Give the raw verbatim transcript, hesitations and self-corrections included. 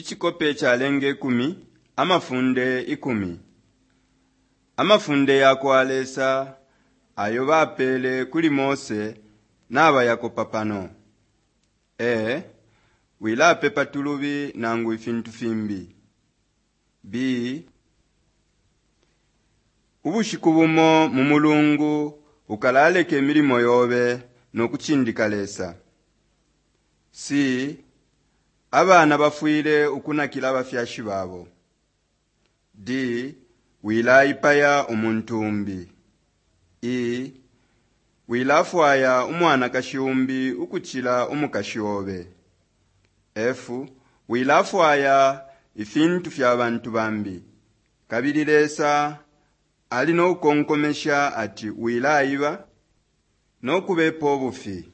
Icikope calenga ikumi, Amafunde ikumi. Amafunde yakwa Lesa ayo bapeele kuli Mose nabayakopa pano. A. Wilapepa tulubi nangu ifintu fimbi. B. Ubushiku bumo mu mulungu ukalaleka imilimo yobe no kucindika Lesa. C. Abana bafwile ukunakila abafyashi babo. D. Wilaipaya umuntu umbi. E. Wilafwaya umwanakashi umbi ukucila umukashi obe. F. Wilafwaya ifintu fya bantu bambi. Kabili Lesa ali no kukonkomesha ati wilaiba no kubepa ubufi.